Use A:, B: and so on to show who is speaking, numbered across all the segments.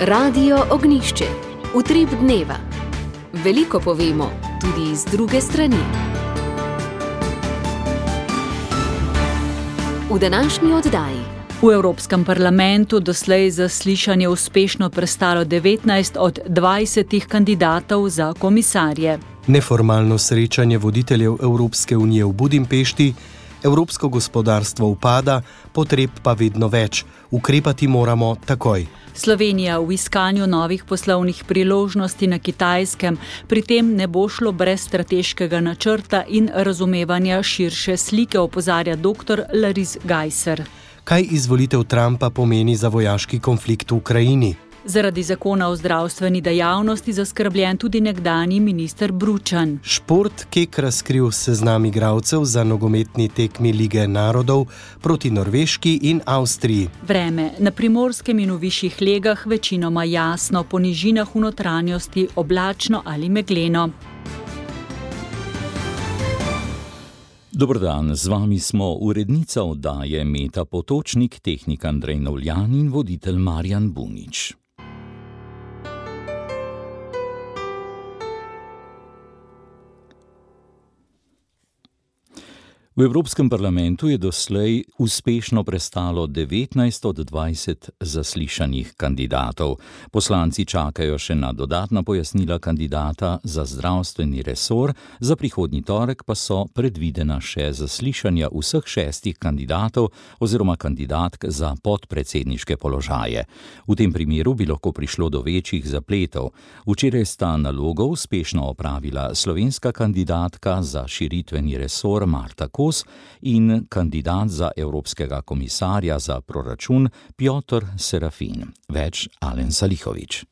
A: Radio Ognjišče. Utrip dneva. Veliko povemo, tudi z druge strani. V današnji oddaji.
B: V Evropskem parlamentu doslej zaslišanje uspešno prestalo 19 od 20 kandidatov za komisarje.
C: Neformalno srečanje voditeljev Evropske unije v Budimpešti, evropsko gospodarstvo upada, potreb pa vedno več. Ukrepati moramo takoj.
B: Slovenija v iskanju novih poslovnih priložnosti na Kitajskem, pri tem ne bo šlo brez strateškega načrta in razumevanja širše slike, opozarja dr. Lariz Gajser.
C: Kaj izvolitev Trumpa pomeni za vojaški konflikt v Ukrajini?
B: Zaradi zakona o zdravstveni dejavnosti zaskrbljen tudi nekdanji minister Bručan.
C: Šport Kek razkril seznam igralcev za nogometni tekmi Lige narodov proti Norveški in Avstriji.
B: Vreme. Na Primorskem in v višjih legah večinoma jasno, po nižinah v notranjosti oblačno ali megleno.
D: Dober dan, z vami smo urednica oddaje Meta Potočnik, tehnik Andrej Novljan in voditelj Marjan Bunič. V Evropskem parlamentu je doslej uspešno prestalo 19 od 20 zaslišanih kandidatov. Poslanci čakajo še na dodatna pojasnila kandidata za zdravstveni resor, za prihodnji torek pa so predvidena še zaslišanja vseh 6 kandidatov oziroma kandidatk za podpredsedniške položaje. V tem primeru bi lahko prišlo do večjih zapletov. Včeraj sta nalogo uspešno opravila slovenska kandidatka za širitveni resor Marta Kos in kandidat za evropskega komisarja za proračun Piotr Serafin. Več Alen Salihović.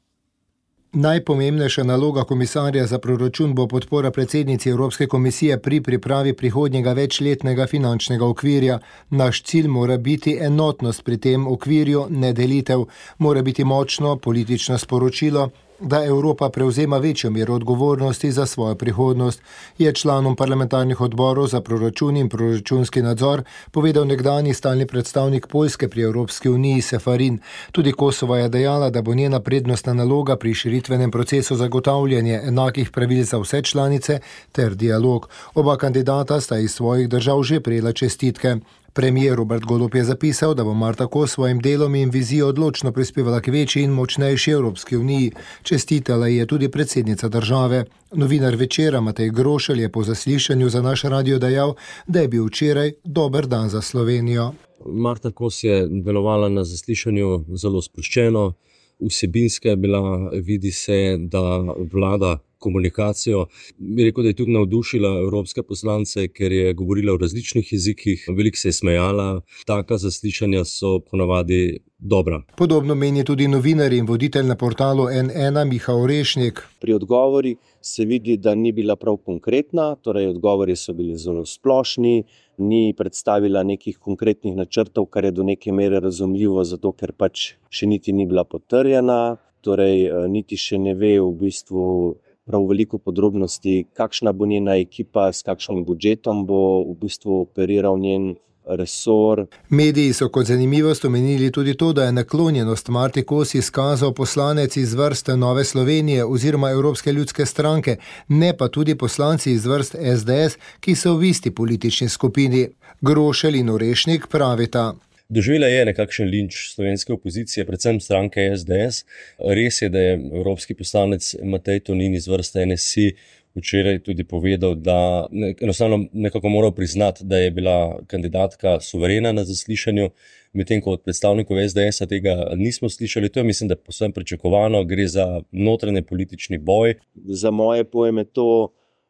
E: Najpomembnejša naloga komisarja za proračun bo podpora predsednici Evropske komisije pri pripravi prihodnjega večletnega finančnega okvirja. Naš cilj mora biti enotnost pri tem okvirju, ne delitev. Mora biti močno politično sporočilo, da Evropa prevzema večjo mero odgovornosti za svojo prihodnost, je članom parlamentarnih odborov za proračun in proračunski nadzor povedal nekdanji stalni predstavnik Poljske pri Evropski uniji Seferin. Tudi Kosova je dejala, da bo njena prednostna naloga pri širitvenem procesu zagotavljanje enakih pravil za vse članice ter dialog. Oba kandidata sta iz svojih držav že prejela čestitke. Premijer Robert Golob je zapisal, da bo Marta Kos svojim delom in vizijo odločno prispevala k večji in močnejši Evropski uniji. Čestitala je tudi predsednica države. Novinar Večera Matej Grošelj je po zaslišanju za naš radio dejal, da je bil včeraj dober dan za Slovenijo.
F: Marta Kos je delovala na zaslišanju zelo sproščeno, vsebinska je bila, vidi se, da vlada komunikacijo. Bi rekel, da je tudi navdušila evropske poslance, ker je govorila v različnih jezikih, veliko se je smejala. Taka zaslišanja so ponavadi dobra.
E: Podobno meni tudi novinar in voditelj na portalu N1 Miha Orešnik.
G: Pri odgovori se vidi, da ni bila prav konkretna, torej odgovori so bili zelo splošni, ni predstavila nekih konkretnih načrtov, kar je do neke mere razumljivo, zato ker pač še niti ni bila potrjena, torej niti še ne ve v bistvu prav veliko podrobnosti, kakšna bo njena ekipa, s kakšnim budžetom bo v bistvu operiral njen resor.
E: Mediji so kot zanimivost omenili tudi to, da je naklonjenost Marti Kos izkazal poslanec iz vrst Nove Slovenije oziroma Evropske ljudske stranke, ne pa tudi poslanci iz vrst SDS, ki so v isti politični skupini. Grošelj in Orešnik pravita.
F: Doživela je nekakšen linč slovenske opozicije, predvsem stranke SDS. Res je, da je evropski poslanec Matej Tonin iz vrste NSI včeraj tudi povedal, da enostavno nekako moral priznati, da je bila kandidatka suverena na zaslišanju, medtem ko od predstavnikov SDS-a tega nismo slišali. To je, mislim, da povsem pričakovano, gre za notranje politični boj.
G: Za moje pojme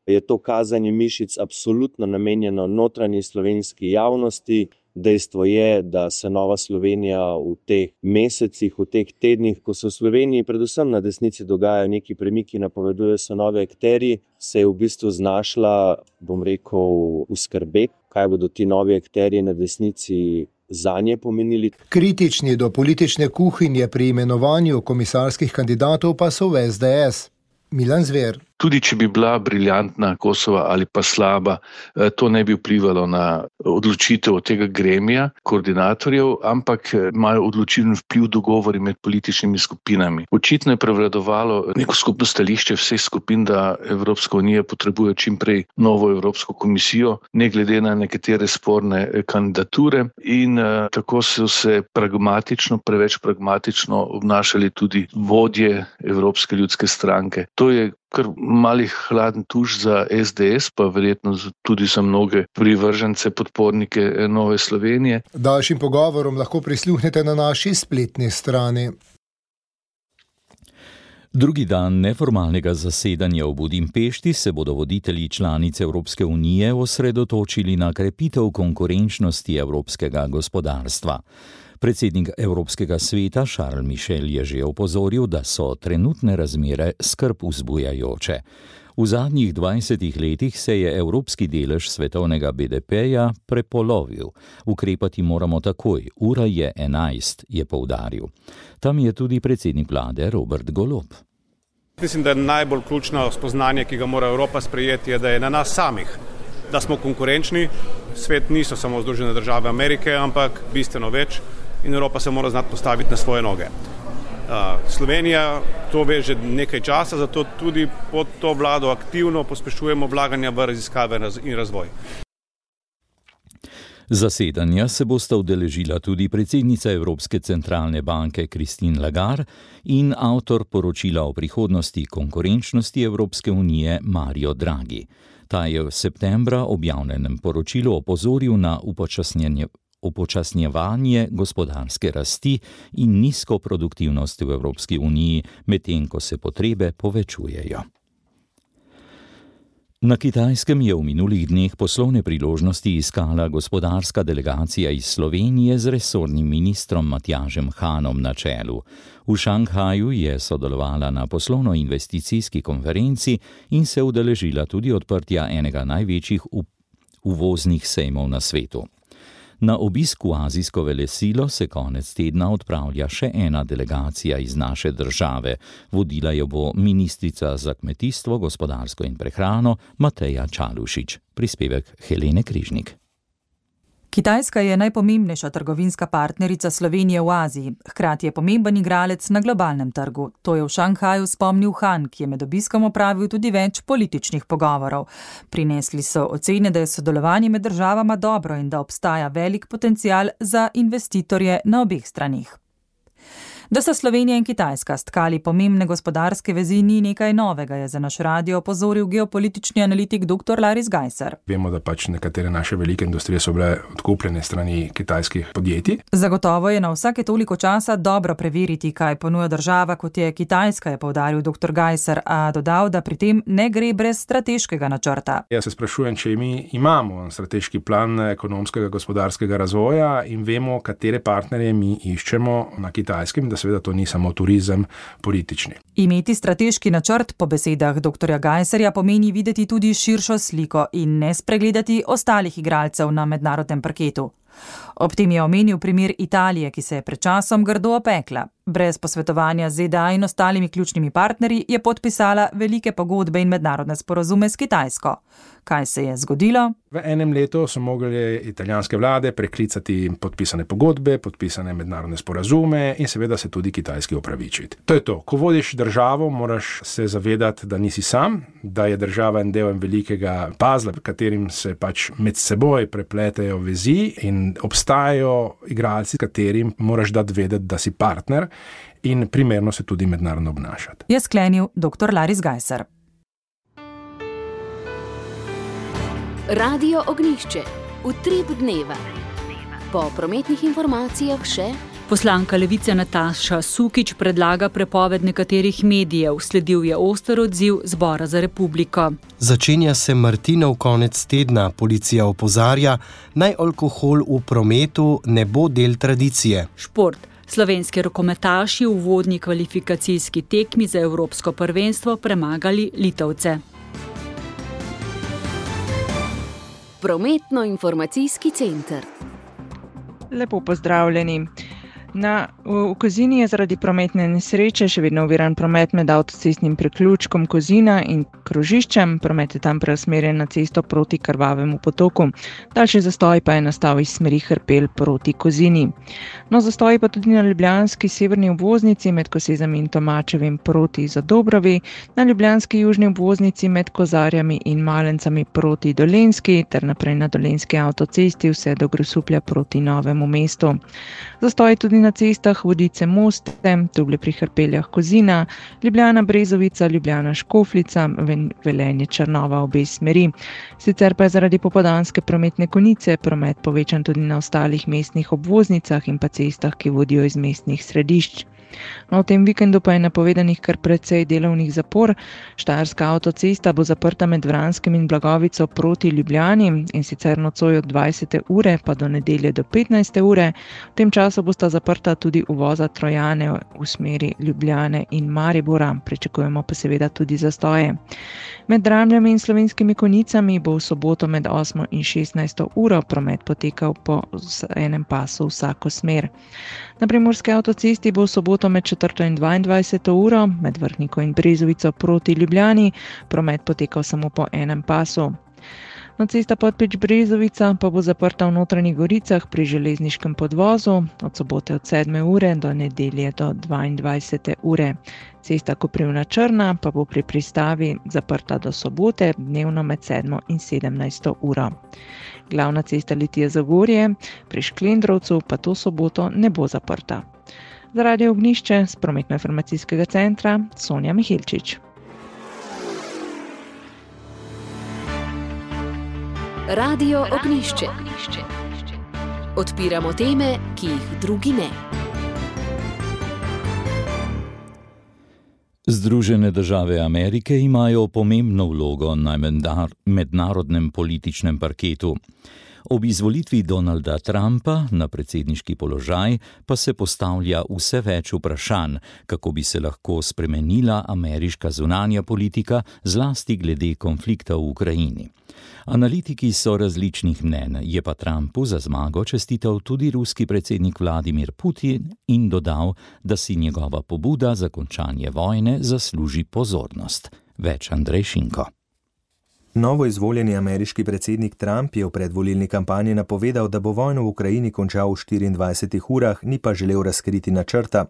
G: je to kazanje mišic absolutno namenjeno notranji slovenski javnosti. Dejstvo je, da se Nova Slovenija v teh mesecih, v teh tednih, ko se v Sloveniji predvsem na desnici dogajajo neki premiki, napovedujejo se nove akterji, se je v bistvu znašla, bom rekel, v skrbeh, kaj bodo ti novi akterji na desnici zanje pomenili.
E: Kritični do politične kuhinje pri imenovanju komisarskih kandidatov pa so v SDS. Milan Zver.
H: Tudi če bi bila briljantna Kosova ali pa slaba, to ne bi vplivalo na odločitev od tega gremija, koordinatorjev, ampak imajo odločilen vpliv dogovori med političnimi skupinami. Očitno je prevladovalo neko skupno stališče vseh skupin, da Evropska unija potrebuje čim prej novo Evropsko komisijo, ne glede na nekatere sporne kandidature, in tako so se preveč pragmatično obnašali tudi vodje Evropske ljudske stranke. To je kar malih hladen tuš za SDS, pa verjetno tudi za mnoge privržence, podpornike Nove Slovenije.
E: Daljšim pogovorom lahko prisluhnete na naši spletni strani.
D: Drugi dan neformalnega zasedanja v Budimpešti se bodo voditelji članic Evropske unije osredotočili na krepitev konkurenčnosti evropskega gospodarstva. Predsednik Evropskega sveta Charles Michel je že opozoril, da so trenutne razmere skrb vzbujajoče. V zadnjih 20 letih se je evropski delež svetovnega BDP-ja prepolovil. Ukrepati moramo takoj, ura je 11, je poudaril. Tam je tudi predsednik vlade Robert Golob.
I: Mislim, da je najbolj ključno spoznanje, ki ga mora Evropa sprejeti, je, da je na nas samih, da smo konkurenčni. Svet niso samo Združene države Amerike, ampak bistveno več, in Evropa se mora znati postaviti na svoje noge. Slovenija to ve že nekaj časa, zato tudi pod to vlado aktivno pospešujemo vlaganja v raziskave in razvoj.
D: Zasedanja se bosta udeležila tudi predsednica Evropske centralne banke Christine Lagarde in avtor poročila o prihodnosti konkurenčnosti Evropske unije Mario Draghi. Ta je v septembra objavljenem poročilu opozoril na upočasnjevanje gospodarske rasti in nizko produktivnost v Evropski uniji, medtem ko se potrebe povečujejo. Na Kitajskem je v minulih dneh poslovne priložnosti iskala gospodarska delegacija iz Slovenije z resornim ministrom Matjažem Hanom na čelu. V Šanghaju je sodelovala na poslovno-investicijski konferenci in se udeležila tudi odprtja enega največjih uvoznih sejmov na svetu. Na obisk v azijsko velesilo se konec tedna odpravlja še ena delegacija iz naše države. Vodila jo bo ministrica za kmetijstvo, gospodarstvo in prehrano Mateja Čalušić. Prispevek Helene Križnik.
J: Kitajska je najpomembnejša trgovinska partnerica Slovenije v Aziji, hkrati je pomemben igralec na globalnem trgu. To je v Šanghaju spomnil Han, ki je med obiskom opravil tudi več političnih pogovorov. Prinesli so ocene, da je sodelovanje med državama dobro in da obstaja velik potencial za investitorje na obeh stranih. Da so Slovenija in Kitajska stkali pomembne gospodarske vezi, ni nekaj novega, je za naš radio opozoril geopolitični analitik dr. Laris Gajser.
K: Vemo, da nekatere naše velike industrije so bile odkupljene strani kitajskih podjetij.
J: Zagotovo je na vsake toliko časa dobro preveriti, kaj ponuja država, kot je Kitajska, je poudaril dr. Gajser, a dodal, da pri tem ne gre brez strateškega načrta.
K: Jaz se sprašujem, če mi imamo strateški plan ekonomskega gospodarskega razvoja in vemo, katere partnerje mi iščemo na Kitajskem, seveda to ni samo turizem politični.
J: Imeti strateški načrt po besedah dr. Gajserja pomeni videti tudi širšo sliko in ne spregledati ostalih igralcev na mednarodnem parketu. Ob tem je omenil primer Italije, ki se je pred časom grdo opekla. Brez posvetovanja z ZDA in ostalimi ključnimi partnerji je podpisala velike pogodbe in mednarodne sporazume s Kitajsko. Kaj se je zgodilo?
K: V enem letu so mogli italijanske vlade preklicati podpisane pogodbe, podpisane mednarodne sporazume in seveda se tudi kitajski opravičiti. To je to. Ko vodiš državo, moraš se zavedati, da nisi sam, da je država en del velikega pazla, v katerim se med seboj prepletejo vezi in obstajajo igralci, katerim moraš dati vedeti, da si partner in primerno se tudi mednarodno obnašati.
J: Je sklenil dr. Laris Gajser.
A: Radio Ognjišče. Utrip dneva. Po prometnih informacijah še...
B: Poslanka Levice Nataša Sukič predlaga prepoved nekaterih medijev. Sledil je oster odziv Zbora za republiko.
C: Začenja se Martinov konec tedna. Policija opozarja, naj alkohol v prometu ne bo del tradicije.
B: Šport. Slovenski rokometaši v uvodni kvalifikacijski tekmi za evropsko prvenstvo premagali Litovce.
A: Prometno-informacijski center.
L: Lepo pozdravljeni. V Kozini je zaradi prometne nesreče še vedno oviran promet med avtocestnim priključkom Kozina in krožiščem. Promet je tam preusmerjen na cesto proti Krvavemu potoku. Daljši zastoj pa je nastal iz smeri Hrpelj proti Kozini. Zastoj pa tudi na ljubljanski severni obvoznici med Kosezami in Tomačevim proti Zadobrovi, na ljubljanski južni obvoznici med Kozarjami in Malencami proti Dolenjski ter naprej na dolenjski avtocesti vse do Grosuplja proti Novemu mestu. Zastoj tudi na cestah Vodice-Moste, Tugle pri Hrpeljah Kozina, Ljubljana-Brezovica, Ljubljana-Škofljica, Velenje-Črnova obe smeri. Sicer pa je zaradi popoldanske prometne konice promet povečan tudi na ostalih mestnih obvoznicah in pa cestah, ki vodijo iz mestnih središč. V tem vikendu pa je napovedanih kar precej delovnih zapor. Štajerska avtocesta bo zaprta med Vranskim in Blagovico proti Ljubljani in sicer nocoj od 20. ure pa do nedelje do 15. ure. V tem času bosta zaprta tudi uvoza Trojane v smeri Ljubljane in Maribora. Pričakujemo pa seveda tudi zastoje. Med Dramljami in Slovenskimi Konjicami bo v soboto med 8. in 16. uro promet potekal po enem pasu vsako smer. Na Primorski avtocesti bo v soboto med 4. in 22. uro med Vrhniko in Brezovico proti Ljubljani promet potekal samo po enem pasu. Cesta Podpeč-Brezovica pa bo zaprta v Notranjih Goricah pri železniškem podvozu od sobote od 7. ure do nedelje do 22. ure. Cesta Koprivna-Črna pa bo pri pristavi zaprta do sobote, dnevno med 7. in 17. uro. Glavna cesta Litija-Zagorje pri Šklendrovcu pa to soboto ne bo zaprta. Za Radio Ognjišče z prometno-informacijskega centra Sonja Miheličič.
A: Radio Ognjišče. Odpiramo teme, ki jih drugi ne.
D: Združene države Amerike imajo pomembno vlogo na mednarodnem političnem parketu. Ob izvolitvi Donalda Trumpa na predsedniški položaj pa se postavlja vse več vprašanj, kako bi se lahko spremenila ameriška zunanja politika, zlasti glede konflikta v Ukrajini. Analitiki so različnih mnenj, je pa Trumpu za zmago čestital tudi ruski predsednik Vladimir Putin in dodal, da si njegova pobuda za končanje vojne zasluži pozornost. Več Andrej Šinko.
M: Novo izvoljeni ameriški predsednik Trump je v predvolilni kampanji napovedal, da bo vojno v Ukrajini končal v 24 urah, ni pa želel razkriti načrta.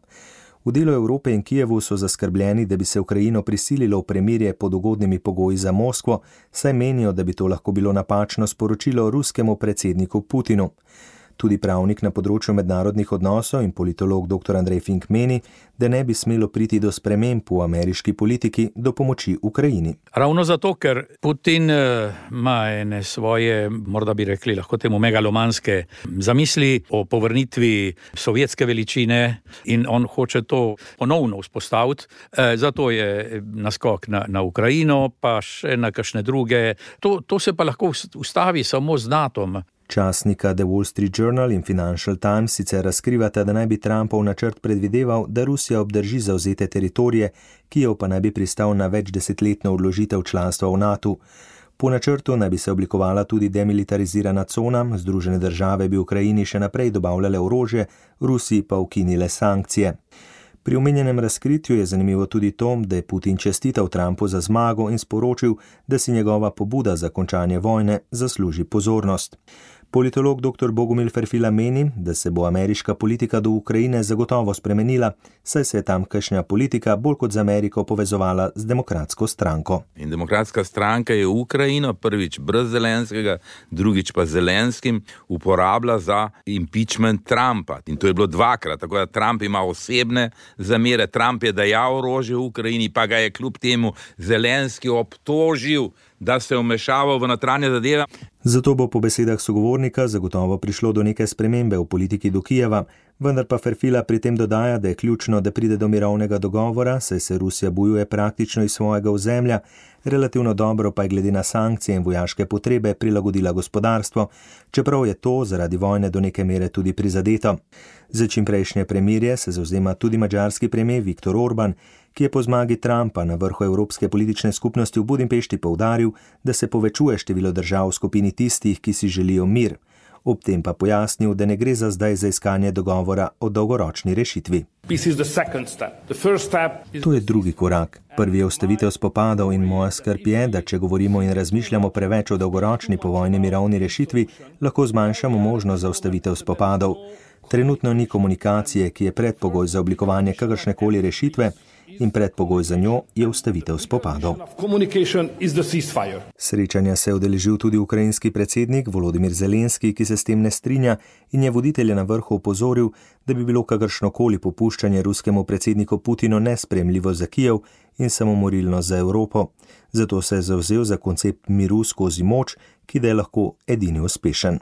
M: V delu Evrope in Kijevu so zaskrbljeni, da bi se Ukrajino prisililo v premirje pod ugodnimi pogoji za Moskvo, saj menijo, da bi to lahko bilo napačno sporočilo ruskemu predsedniku Putinu. Tudi pravnik na področju mednarodnih odnosov in politolog dr. Andrej Fink meni, da ne bi smelo priti do sprememb v ameriški politiki do pomoči Ukrajini.
N: Ravno zato, ker Putin ima ene svoje, morda bi rekli, lahko temu megalomanske zamisli o povrnitvi sovjetske veličine in on hoče to ponovno vzpostaviti. Zato je naskok na Ukrajino, pa še na kakšne druge. To se pa lahko ustavi samo z NATO-om.
M: Časnika The Wall Street Journal in Financial Times sicer razkrivata, da naj bi Trumpov načrt predvideval, da Rusija obdrži zavzete teritorije, Kijev pa naj bi pristal na večdesetletno odložitev članstva v NATO. Po načrtu naj bi se oblikovala tudi demilitarizirana cona, Združene države bi Ukrajini še naprej dobavljale orožje, Rusiji pa ukinile sankcije. Pri omenjenem razkritju je zanimivo tudi to, da je Putin čestital Trumpu za zmago in sporočil, da si njegova pobuda za končanje vojne zasluži pozornost. Politolog dr. Bogomil Ferfila meni, da se bo ameriška politika do Ukrajine zagotovo spremenila, saj se je tamkajšnja politika bolj kot z Ameriko povezovala z demokratsko stranko.
O: In demokratska stranka je Ukrajino prvič brez Zelenskega, drugič pa Zelenskim uporabila za impeachment Trumpa. In to je bilo dvakrat, tako da Trump ima osebne zamere. Trump je dajal orožje v Ukrajini, pa ga je kljub temu Zelenski obtožil, da se je vmešaval v notranje zadeve.
M: Zato bo po besedah sogovornika zagotovo prišlo do neke spremembe v politiki do Kijeva, vendar pa Ferfila pri tem dodaja, da je ključno, da pride do mirovnega dogovora, saj se Rusija bojuje praktično iz svojega ozemlja, relativno dobro pa je glede na sankcije in vojaške potrebe prilagodila gospodarstvo, čeprav je to zaradi vojne do neke mere tudi prizadeto. Za čimprejšnje premirje se zavzema tudi madžarski premijer Viktor Orban, ki je po zmagi Trumpa na vrhu Evropske politične skupnosti v Budimpešti poudaril, da se povečuje število držav v skupini tistih, ki si želijo mir. Ob tem pa pojasnil, da ne gre za zdaj za iskanje dogovora o dolgoročni rešitvi. To je drugi korak. Prvi je ustavitev spopadov in moja skrb je, da če govorimo in razmišljamo preveč o dolgoročni povojni mirovni rešitvi, lahko zmanjšamo možnost za ustavitev spopadov. Trenutno ni komunikacije, ki je predpogoj za oblikovanje kakršnekoli rešitve, in predpogoj za njo je ustavitev spopadov. Srečanja se je udeležil tudi ukrajinski predsednik Volodimir Zelenski, ki se s tem ne strinja in je voditelje na vrhu opozoril, da bi bilo kakršnokoli popuščanje ruskemu predsedniku Putinu nespremljivo za Kijev in samomorilno za Evropo. Zato se je zavzel za koncept miru skozi moč, ki da je lahko edini uspešen.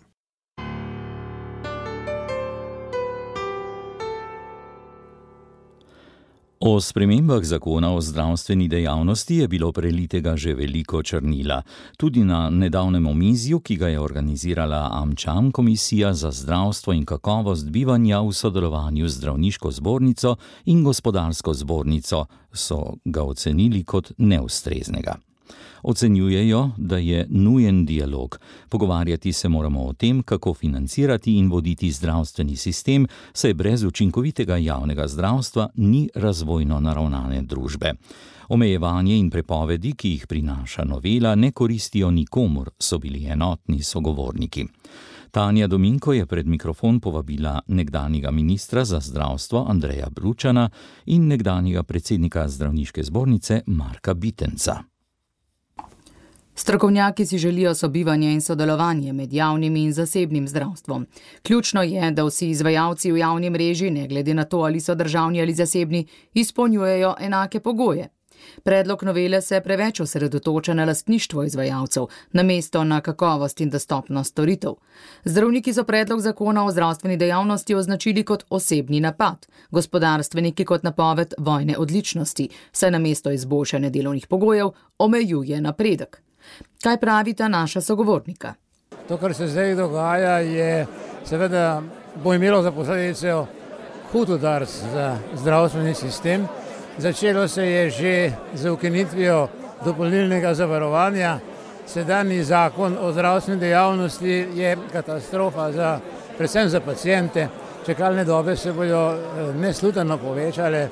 D: O spremembah zakona o zdravstveni dejavnosti je bilo prelitega že veliko črnila. Tudi na nedavnem omizju, ki ga je organizirala AmCham, Komisija za zdravstvo in kakovost bivanja v sodelovanju z Zdravniško zbornico in Gospodarsko zbornico, so ga ocenili kot neustreznega. Ocenjujejo, da je nujen dialog. Pogovarjati se moramo o tem, kako financirati in voditi zdravstveni sistem, saj brez učinkovitega javnega zdravstva ni razvojno naravnane družbe. Omejevanje in prepovedi, ki jih prinaša novela, ne koristijo nikomur, so bili enotni sogovorniki. Tanja Dominko je pred mikrofon povabila nekdanjega ministra za zdravstvo Andreja Bručana in nekdanjega predsednika Zdravniške zbornice Marka Bitenca.
P: Strokovnjaki si želijo sobivanje in sodelovanje med javnim in zasebnim zdravstvom. Ključno je, da vsi izvajalci v javni mreži, ne glede na to, ali so državni ali zasebni, izpolnjujejo enake pogoje. Predlog novele se preveč osredotoča na lastništvo izvajalcev, namesto na kakovost in dostopnost storitev. Zdravniki so predlog zakona o zdravstveni dejavnosti označili kot osebni napad, gospodarstveniki kot napoved vojne odličnosti, saj namesto izboljšanja delovnih pogojev omejuje napredek. Kaj pravita naša sogovornika?
Q: To, kar se zdaj dogaja, je seveda bo imelo za posledico hud udarec za zdravstveni sistem. Začelo se je že z ukinitvijo dopolnilnega zavarovanja. Sedanji zakon o zdravstveni dejavnosti je katastrofa predvsem za paciente. Čakalne dobe se bodo nesluteno povečale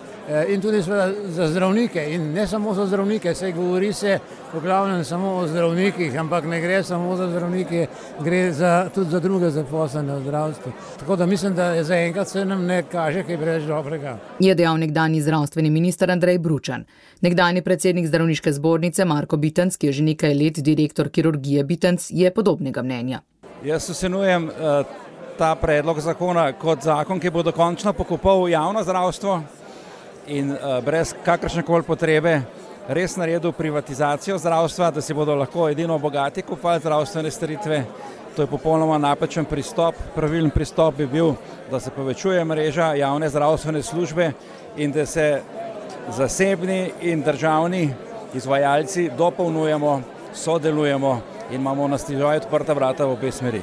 Q: in tudi za zdravnike. In ne samo za zdravnike, saj govori se v glavnem samo o zdravnikih, ampak ne gre samo za zdravnike, gre tudi za druge zaposlene v zdravstvu. Tako da mislim, da zaenkrat se nam ne kaže kaj preveč dobrega.
P: Je dejal nekdanji zdravstveni minister Andrej Bručan. Nekdanji predsednik Zdravniške zbornice Marko Bitenc, ki je že nekaj let direktor kirurgije Bitenc, je podobnega mnenja.
R: Jaz ocenjujem ta predlog zakona kot zakon, ki bo dokončno pokopal javno zdravstvo in brez kakršnekoli potrebe res naredil privatizacijo zdravstva, da si bodo lahko edino bogati kupovali zdravstvene storitve. To je popolnoma napačen pristop. Pravilen pristop bi bil, da se povečuje mreža javne zdravstvene službe in da se zasebni in državni izvajalci dopolnjujemo, sodelujemo in imamo na stižaj odprta vrata v obe smeri.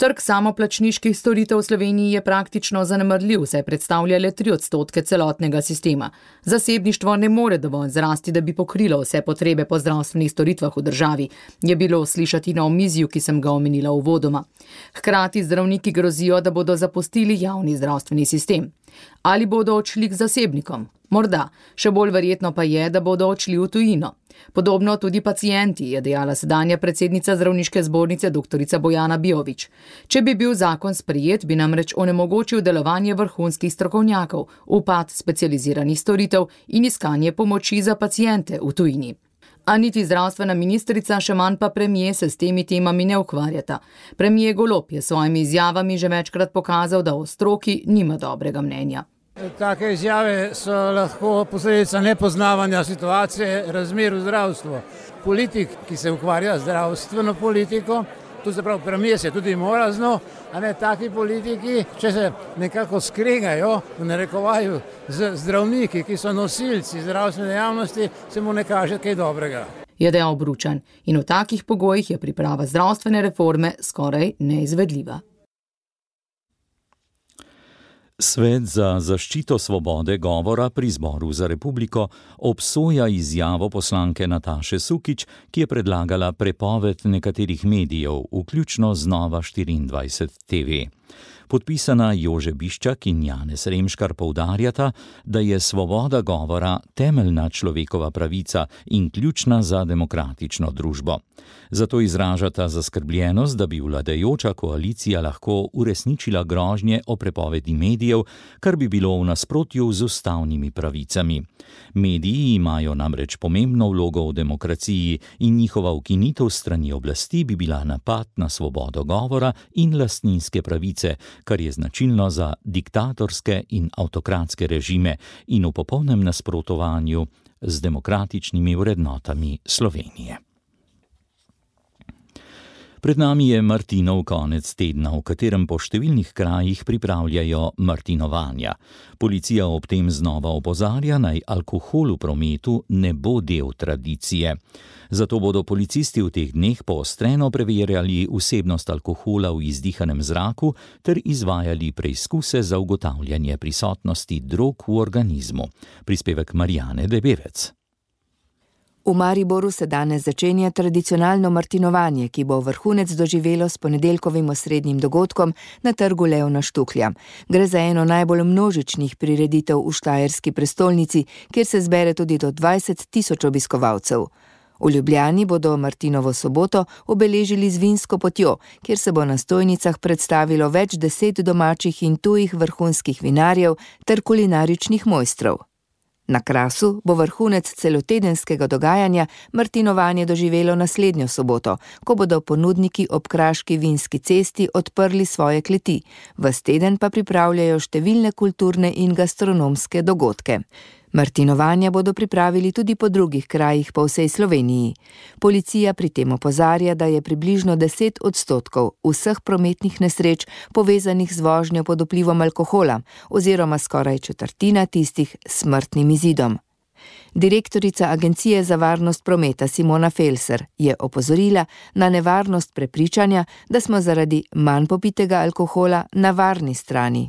P: Trg samoplačniških storitev v Sloveniji je praktično zanemarljiv, saj predstavlja le 3% celotnega sistema. Zasebništvo ne more dovolj zrasti, da bi pokrilo vse potrebe po zdravstvenih storitvah v državi, je bilo slišati na omizju, ki sem ga omenila uvodoma. Hkrati zdravniki grozijo, da bodo zapustili javni zdravstveni sistem. Ali bodo odšli k zasebnikom? Morda, še bolj verjetno pa je, da bodo odšli v tujino. Podobno tudi pacienti, je dejala sedanja predsednica Zdravniške zbornice dr. Bojana Bijović. Če bi bil zakon sprejet, bi namreč onemogočil delovanje vrhunskih strokovnjakov, upad specializiranih storitev in iskanje pomoči za paciente v tujini. A niti zdravstvena ministrica, še manj pa premier se s temi temami ne ukvarjata. Premier Golob je s svojimi izjavami že večkrat pokazal, da o stroki nima dobrega mnenja.
Q: Take izjave so lahko posledica nepoznavanja situacije, razmer v zdravstvu. Politik, ki se ukvarja z zdravstveno politiko, tu se pravi premier se tudi mora a ne taki politiki, če se nekako skregajo, v narekovaju z zdravniki, ki so nosilci zdravstvene dejavnosti, se mu ne kaže kaj dobrega.
P: Je dejal Bručan in v takih pogojih je priprava zdravstvene reforme skoraj neizvedljiva.
D: Svet za zaščito svobode govora pri Zboru za republiko obsoja izjavo poslanke Nataše Sukič, ki je predlagala prepoved nekaterih medijev, vključno z Nova24 TV. Podpisana Jože Biščak in Janez Remškar poudarjata, da je svoboda govora temeljna človekova pravica in ključna za demokratično družbo. Zato izražata zaskrbljenost, da bi vladajoča koalicija lahko uresničila grožnje o prepovedi medijev, kar bi bilo v nasprotju z ustavnimi pravicami. Mediji imajo namreč pomembno vlogo v demokraciji in njihova ukinitev strani oblasti bi bila napad na svobodo govora in lastninske pravice, kar je značilno za diktatorske in avtokratske režime in v popolnem nasprotovanju z demokratičnimi vrednotami Slovenije. Pred nami je Martinov konec tedna, v katerem po številnih krajih pripravljajo martinovanja. Policija ob tem znova opozarja, naj alkohol v prometu ne bo del tradicije. Zato bodo policisti v teh dneh poostreno preverjali vsebnost alkohola v izdihanem zraku ter izvajali preizkuse za ugotavljanje prisotnosti drog v organizmu. Prispevek Marijane Debevec.
S: V Mariboru se danes začenja tradicionalno martinovanje, ki bo vrhunec doživelo s ponedeljkovim osrednjim dogodkom na trgu Leona Štuklja. Gre za eno najbolj množičnih prireditev v štajerski prestolnici, kjer se zbere tudi do 20 000 obiskovalcev. V Ljubljani bodo Martinovo soboto obeležili z vinsko potjo, kjer se bo na stojnicah predstavilo več 10 domačih in tujih vrhunskih vinarjev ter kulinaričnih mojstrov. Na Krasu bo vrhunec celotedenskega dogajanja martinovanje doživelo naslednjo soboto, ko bodo ponudniki ob Kraški vinski cesti odprli svoje kleti. Ves teden pa pripravljajo številne kulturne in gastronomske dogodke. Martinovanja bodo pripravili tudi po drugih krajih po vsej Sloveniji. Policija pri tem opozarja, da je približno 10% vseh prometnih nesreč povezanih z vožnjo pod vplivom alkohola, oziroma skoraj četrtina tistih s smrtnim izidom. Direktorica Agencije za varnost prometa Simona Felser je opozorila na nevarnost prepričanja, da smo zaradi manj popitega alkohola na varni strani.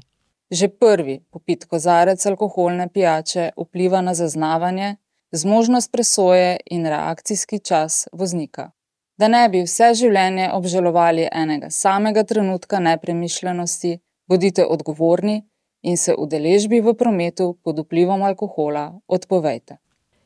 T: Že prvi popit kozarec alkoholne pijače vpliva na zaznavanje, zmožnost presoje in reakcijski čas voznika. Da ne bi vse življenje obžalovali enega samega trenutka nepremišljenosti, bodite odgovorni in se udeležbi v prometu pod vplivom alkohola odpovejte.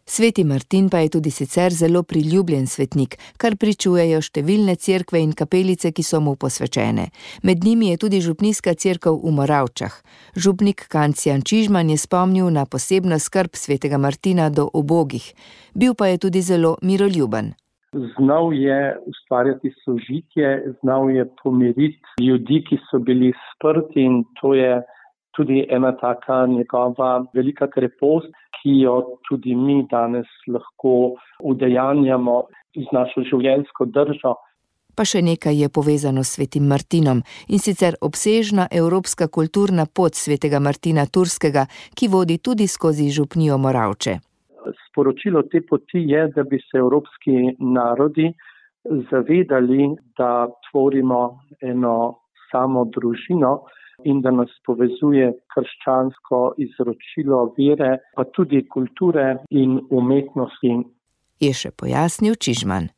S: Sveti Martin pa je tudi sicer zelo priljubljen svetnik, kar pričujejo številne cerkve in kapelice, ki so mu posvečene. Med njimi je tudi župnijska cerkev v Moravčah. Župnik Kancijan Čižman je spomnil na posebno skrb svetega Martina do ubogih. Bil pa je tudi zelo miroljuben.
U: Znal je ustvarjati sožitje, znal je pomiriti ljudi, ki so bili sprti, in to je tudi ena taka njegova velika krepost, ki jo tudi mi danes lahko udejanjamo z našo življenjsko držo.
S: Pa še nekaj je povezano s svetim Martinom, in sicer obsežna evropska kulturna pot svetega Martina Turskega, ki vodi tudi skozi župnijo Moravče.
U: Sporočilo te poti je, da bi se evropski narodi zavedali, da tvorimo eno samo družino, in da nas povezuje krščansko izročilo vere, pa tudi kulture in umetnosti.
S: Je še pojasnil Čižman.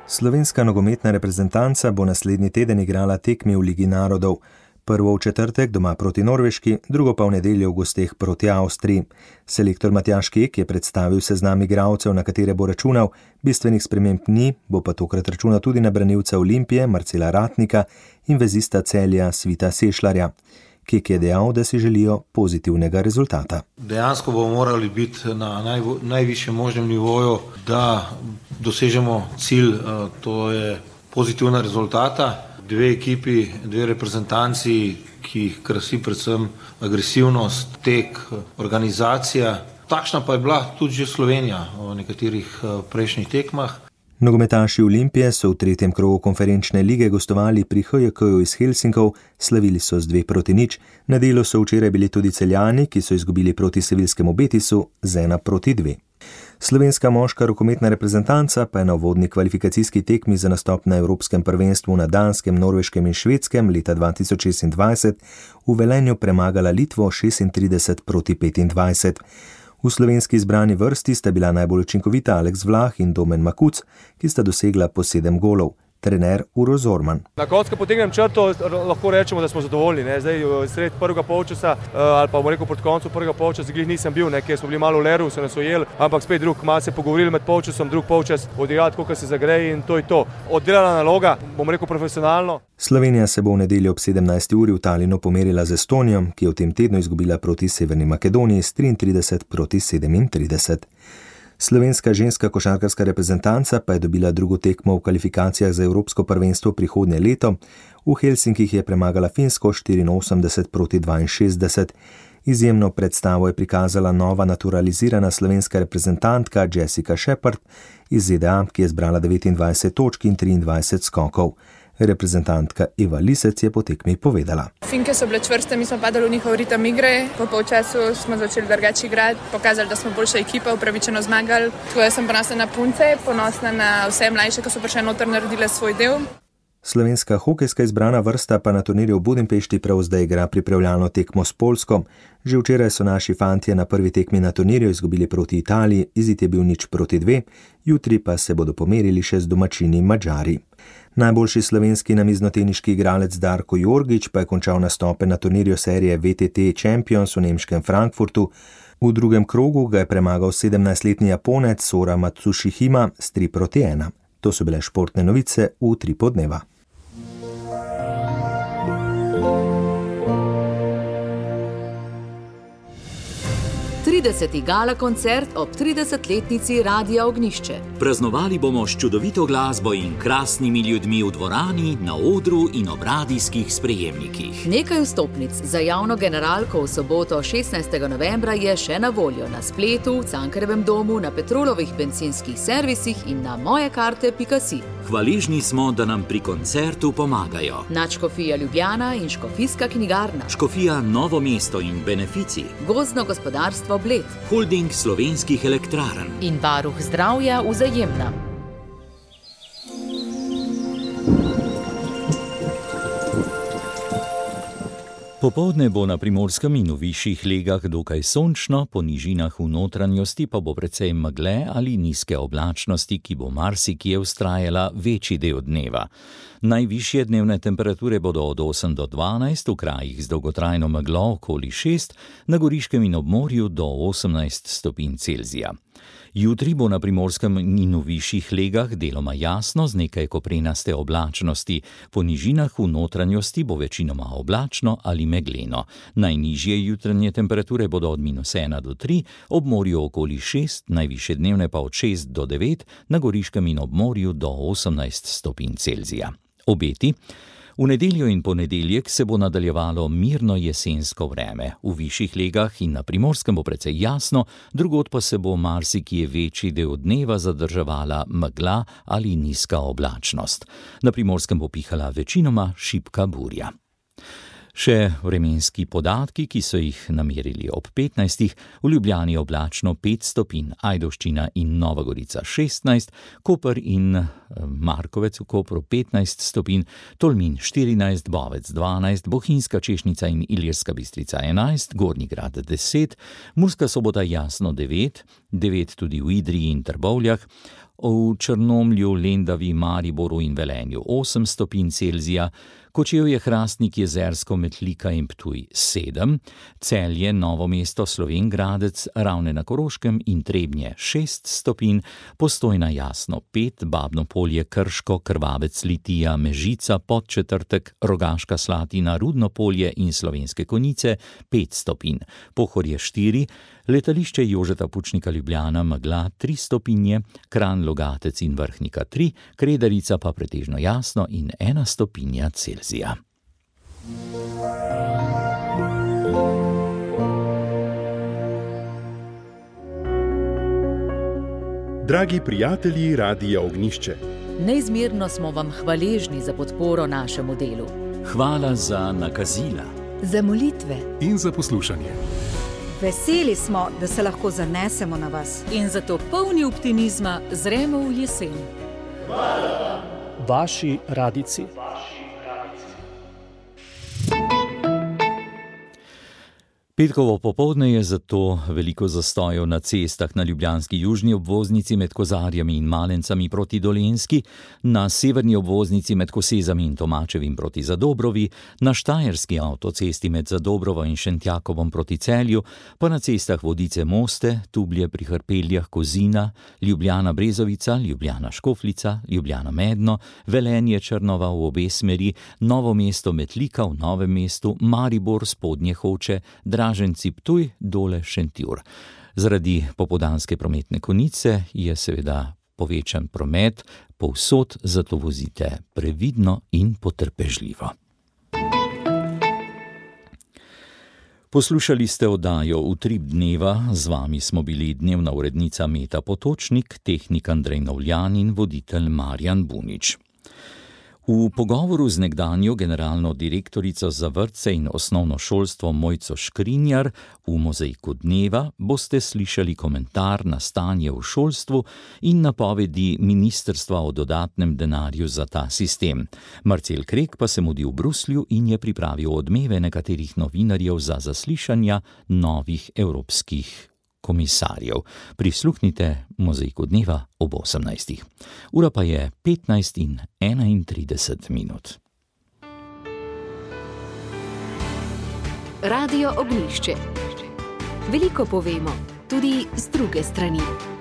M: Slovenska nogometna reprezentanca bo naslednji teden igrala tekmi v Ligi narodov. Prvo v četrtek doma proti Norveški, drugo pa v nedeljo v gosteh proti Avstriji. Selektor Matjaž Kek je predstavil seznam igralcev, na katere bo računal, bistvenih sprememb ni, bo pa tokrat računal tudi na branilca Olimpije Marcela Ratnika in vezista Celja Svita Sešljarja. Kek je dejal, da si želijo pozitivnega rezultata.
V: Dejansko bomo morali biti na najvišjem možnem nivoju, da dosežemo cilj, to je pozitivna rezultata. Dve ekipi, dve reprezentanci, ki jih krasi predvsem agresivnost, tek, organizacija. Takšna pa je bila tudi že Slovenija v nekaterih prejšnjih tekmah.
M: Nogometaši Olimpije so v 3. krogu konferenčne lige gostovali pri HJK-ju iz Helsinkov, slavili so z 2-0. Na delu so včeraj bili tudi Celjani, ki so izgubili proti sevilskemu Betisu z 1-2. Slovenska moška rokometna reprezentanca pa je na uvodni kvalifikacijski tekmi za nastop na Evropskem prvenstvu na Danskem, Norveškem in Švedskem leta 2026 v Velenju premagala Litvo 36-25. V slovenski izbrani vrsti sta bila najbolj učinkovita Aleks Vlah in Domen Makuc, ki sta dosegla po 7 golov. Trener Uroš Zorman.
F: Na koncu, ko potegnem črto, lahko rečemo, da smo zadovoljni. Zdaj, sred prvega polčasa, ali pa bomo rekel proti koncu prvega polčasa, glih nisem bil, ker smo bili malo v leru, so nas ujeli, ampak spet malo se pogovorili med polčasom, drug polčas odigrati, koliko se zagreje in to je to. Oddelana naloga, bomo rekel profesionalno.
M: Slovenija se bo v nedeljo ob 17. uri v Talinu pomerila z Estonijo, ki je v tem tednu izgubila proti Severni Makedoniji s 33-37. Slovenska ženska košarkarska reprezentanca pa je dobila drugo tekmo v kvalifikacijah za Evropsko prvenstvo prihodnje leto. V Helsinkih je premagala Finsko 84-62. Izjemno predstavo je prikazala nova naturalizirana slovenska reprezentantka Jessica Shepard iz ZDA, ki je zbrala 29 točk in 23 skokov. Reprezentantka Eva Lisec je po tekmi povedala.
G: Finke so bile čvrste, mi smo padali v njihov ritem igre, po polčasu smo začeli drugače igrati, pokazali, da smo boljša ekipa, upravičeno zmagali. Tako da sem ponosna na punce, ponosna na vse mlajše, ki so prišle noter naredile svoj del.
M: Slovenska hokejska izbrana vrsta pa na turnirju v Budimpešti prav zdaj igra pripravljalno tekmo s Poljsko. Že včeraj so naši fantje na prvi tekmi na turnirju izgubili proti Italiji, izid je bil 0-2, jutri pa se bodo pomerili še z domačini Madžari. Najboljši slovenski namiznoteniški igralec Darko Jorgič pa je končal nastope na turnirju serije VTT Champions v nemškem Frankfurtu. V drugem krogu ga je premagal 17-letni Japonec Sora Matsushihima s 3-1. To so bile športne novice v 3 podneva.
A: Gala koncert ob 30-letnici Radia Ognišče.
W: Praznovali bomo s čudovito glasbo in krasnimi ljudmi v dvorani, na odru in ob radijskih sprejemnikih.
A: Nekaj vstopnic za javno generalko v soboto 16. novembra je še na voljo na spletu, v Cankarjevem domu, na Petrolovih bencinskih servisih in na mojekarte.si.
W: Hvaležni smo, da nam pri koncertu pomagajo
A: Nadškofija Ljubljana in Škofijska knjigarna,
W: Škofija Novo mesto in Benefici,
A: Gozdno gospodarstvo Bled,
W: Holding slovenskih elektrarn
A: in Varuh zdravja Vzajemna.
D: Popoldne bo na Primorskem in v višjih legah dokaj sončno, po nižinah v notranjosti pa bo precej megle ali nizke oblačnosti, ki bo marsikje vztrajala večji del dneva. Najvišje dnevne temperature bodo od 8 do 12, v krajih z dolgotrajno meglo okoli 6, na Goriškem in ob morju do 18 stopinj Celzija. Jutri bo na Primorskem in v višjih legah deloma jasno z nekaj koprenaste oblačnosti. Po nižinah v notranjosti bo večinoma oblačno ali megleno. Najnižje jutranje temperature bodo od -1 do 3, ob morju okoli 6, najvišje dnevne pa od 6 do 9, na Goriškem in ob morju do 18 stopinj Celzija. Obeti. V nedeljo in ponedeljek se bo nadaljevalo mirno jesensko vreme. V višjih legah in na Primorskem bo precej jasno, drugod pa se bo marsikje večji del dneva zadrževala megla ali nizka oblačnost. Na Primorskem bo pihala večinoma šibka burja. Še vremenski podatki, ki so jih namerili ob 15. V Ljubljani oblačno 5 stopinj, Ajdovščina in Nova Gorica 16, Koper in Markovec v Kopru 15 stopinj, Tolmin 14, Bovec 12, Bohinjska Češnica in Ilirska Bistrica 11, Gornji Grad 10, Murska Sobota jasno 9, 9 tudi v Idriji in Trbovljah, v Črnomlju, Lendavi, Mariboru in Velenju 8 stopinj Celzija, Kočevje, Hrastnik, Jezersko, Metlika in Ptuj 7, Celje, Novo mesto, Slovenj Gradec, Ravne na Koroškem in Trebnje 6 stopinj, Postojna jasno 5, Babno Polje, Krško, Krvavec, Litija, Mežica, Podčetrtek, Rogaška Slatina, Rudno Polje in Slovenske Konjice 5 stopinj, Pohorje 4, Letališče Jožeta Pučnika Ljubljana, megla 3 stopinje, Kranj, Logatec in Vrhnika 3, Kredarica pa pretežno jasno in 1 stopinja Celzija.
X: Dragi prijatelji Radia Ognišče,
A: neizmerno smo vam hvaležni za podporo našemu delu.
W: Hvala za nakazila,
S: za molitve
X: in za poslušanje.
E: Veseli smo, da se lahko zanesemo na vas.
B: In zato polni optimizma zremo v jesen.
H: Vaši radijci.
D: Petkovo popoldne je zato veliko zastojev na cestah na ljubljanski južni obvoznici med Kozarjami in Malencami proti Dolenjski, na severni obvoznici med Kosezami in Tomačevim proti Zadobrovi, na štajerski avtocesti med Zadobrovo in Šentjakovom proti Celju, pa na cestah Vodice-Moste, Tublje pri Hrpeljah, Kozina, Ljubljana-Brezovica, Ljubljana-Škofljica, Ljubljana-Medno, Velenje-Črnova v obe smeri, Novo mesto-Metlika v Novem mestu, Maribor-Spodnje Hoče, Draženci-Ptuj, Dole-Šentjur. Zaradi popoldanske prometne konice je seveda povečan promet, povsod zato vozite previdno in potrpežljivo. Poslušali ste oddajo Utrip dneva, z vami smo bili dnevna urednica Meta Potočnik, tehnik Andrej Novljan in voditelj Marjan Bunič. V pogovoru z nekdanjo generalno direktorico za vrtce in osnovno šolstvo Mojco Škrinjar v Mozaiku dneva boste slišali komentar na stanje v šolstvu in napovedi ministrstva o dodatnem denarju za ta sistem. Marcel Krek pa se mudi v Bruslju in je pripravil odmeve nekaterih novinarjev za zaslišanja novih evropskih komisarjev. Prisluhnite Mozaiku dneva ob 18. Ura pa je 15:31.
I: Radio Ognjišče. Veliko povemo, tudi z druge strani.